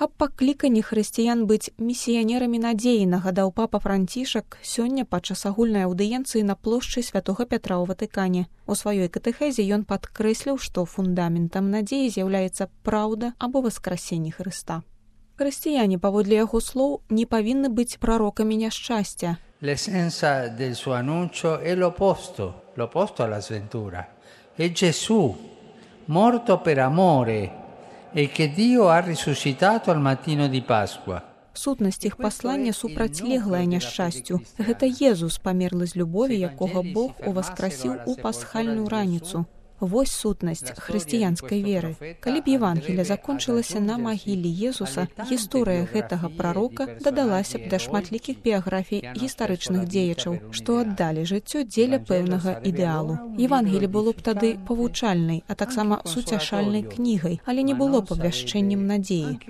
Аб пакліканні хрысціян быць місіянерамі надзеі нагадаў папа Францішак сёння падчас агульнай аўдыенцыі на плошчы святога Пятра ў Ватыкане. У сваёй катэхезе ён падкрэсліў, што фундаментам надзеі з'яўляецца праўда або воскресенне Хрыста. Хрысціяне, паводле яго слоў, не павінны быць прарокамі няшчасця. L'essenza del suo annuncio è l'opposto alla sventura. È Gesù, morto per amore, e che Dio ha risuscitato al mattino di Pasqua. Сутнасць іх паслання супрацьлеглая няшчасцю. Гэта Езус памерлы з любові, якога Бог уваскрасіў у пасхальную раніцу. Вось сутнасць хрысціянскай веры. Калі б Евангелие закончылася на магіле Езуса, гісторыя гэтага прарока дадалася б да шматлікіх біяграфій гістарычных дзеячаў, што аддалі жыццё дзеля пэўнага ідэалу. Евангелие было б тады павучальнай, а таксама суцяшальнай кнігай, але не было б абвяшчэннем надзеі.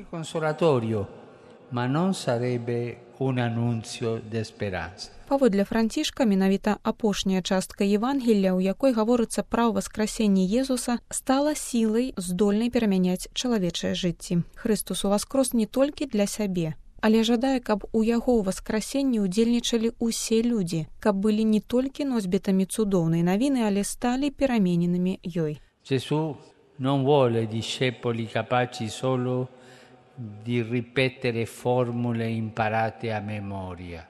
Ma non sarebbe un annunzio di speranza. Паводле Францішка, менавіта апошняя частка Евангелія, у якой гаворыцца пра воскресенне Езуса, стала сілай, здольнай перамяняць чалавечае жыцці. Хрыстус уваскрос не толькі для сябе, але жадае, каб у яго ўваскрасенні ўдзельнічалі ўсе людзі, каб былі не толькі носьбітамі цудоўнай навіны, але сталі перамененымі ёй. Gesù non vuole discepoli capaci solo di ripetere formule imparate a memoria.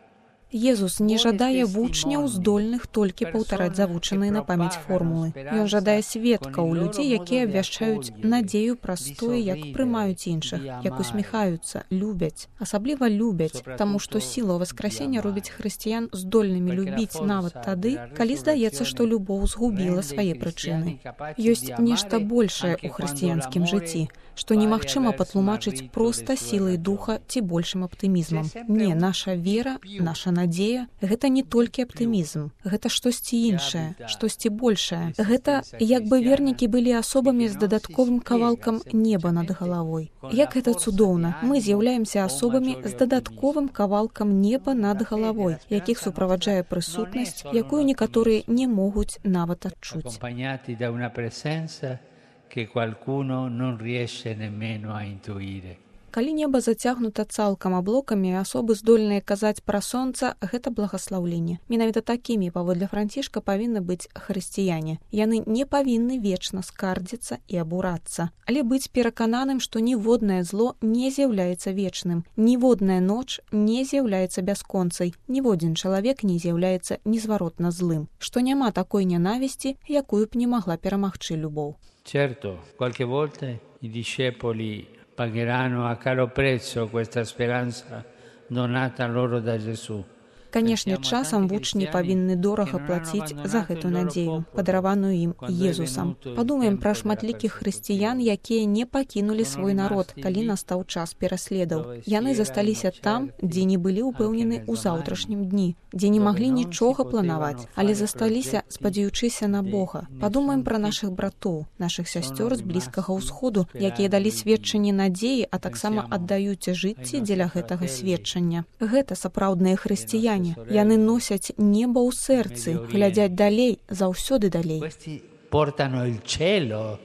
Езус не жадае вучняў, здольных толькі паўтараць завучаныя на памяць формулы. Ён жадае сведкаў, людзей, якія абвяшчаюць надзею праз тое, як прымаюць іншых, як усміхаюцца, любяць. Асабліва любяць, таму што сіла воскресення робіць хрысціян здольнымі любіць нават тады, калі здаецца, што любоў згубіла свае прычыны. Ёсць нешта большае ў хрысціянскім жыцці, што немагчыма патлумачыць проста сілай духа ці большым аптымізмам. Не, наша вера, наша надзея – гэта не толькі аптымізм, гэта штосьці іншае, штосьці большае. Гэта як бы вернікі былі асобамі з дадатковым кавалкам неба над галавой. Як гэта цудоўна, мы з'яўляемся асобамі з дадатковым кавалкам неба над галавой, якіх суправаджае прысутнасць, якую некаторыя не могуць нават адчуць. Che qualcuno non riesce nemmeno a intuire. Калі неба зацягнута цалкам аблокамі, асобы здольныя казаць пра сонца, гэта благаслаўленне. Менавіта такімі, паводле Францішка, павінны быць хрысціяне. Яны не павінны вечна скардзіцца і абурацца, але быць перакананым, што ніводнае зло не з'яўляецца вечным, ніводная ноч не з'яўляецца бясконцай, ніводзін чалавек не з'яўляецца незваротна злым, што няма такой нянавісці, якую б не магла перамагчы любоў. Certo, qualche volta i discepoli pagheranno a caro prezzo questa speranza donata loro da Gesù. Канешне, часам вучні павінны дорага плаціць за гэту надзею, падараваную ім Езусам. Падумаем пра шматлікіх хрысціян, якія не пакінулі свой народ, калі настаў час пераследаў. Яны засталіся там, дзе не былі ўпэўнены ў заўтрашнім дні, дзе не маглі нічога планаваць, але засталіся, спадзяючыся на Бога. Падумаем пра нашых братоў, нашых сясцёр з Блізкага ўсходу, якія далі сведчанне надзеі, а таксама аддаюць жыцці дзеля гэтага сведчання. Гэта сапраўдныя хрысціяне. Яны носяць неба ў сэрцы, глядзяць далей, заўсёды далей. Portano il cielo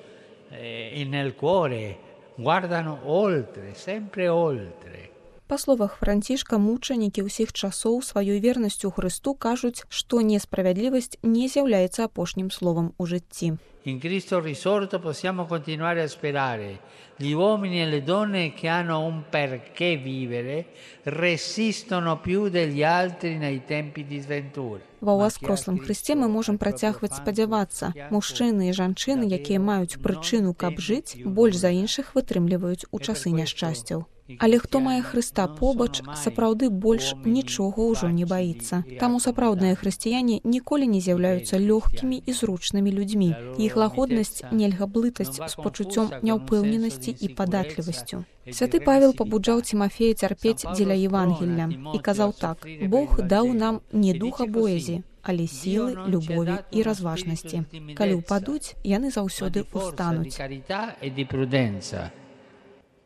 nel cuore, guardano oltre, sempre oltre. Па словах Францішка, мучанікі ўсіх часоў сваёй вернасцю Хрысту кажуць, што несправядлівасць не з'яўляецца апошнім словам у жыцці. In Cristo risorto possiamo continuare a sperare. Gli uomini e le donne che hanno un perché vivere resistono più degli altri nei tempi di sventura. Ва ўваскрослым Хрысце мы можам працягваць спадзявацца. Мужчыны і жанчыны, якія маюць прычыну, каб жыць, больш за іншых вытрымліваюць у часы няшчасцяў. Але хто мае Хрыста побач, сапраўды больш нічога ўжо не баіцца. Таму сапраўдныя хрысціяне ніколі не з'яўляюцца лёгкімі і зручнымі людзьмі. Іх лагоднасць нельга блытаць з пачуццём няўпэўненасці і падатлівасцю. Святы Павел пабуджаў Цімафея цярпець дзеля Евангелля і казаў так: «Бог даў нам не духа боязі, але сілы, любові і разважнасці. Калі ўпадуць, яны заўсёды ўстануць».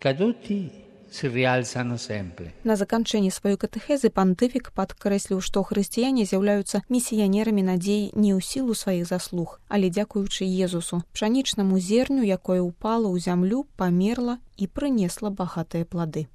Caduti si rialzano sempre. На заканчэнні сваёй катэхезы пантыфік падкрэсліў, што хрысціяне з'яўляюцца місіянерамі надзеі не ў сілу сваіх заслуг, але дзякуючы Езусу, пшанічнаму зерню, якое ўпала ў зямлю, памерла і прынесла багатыя плады.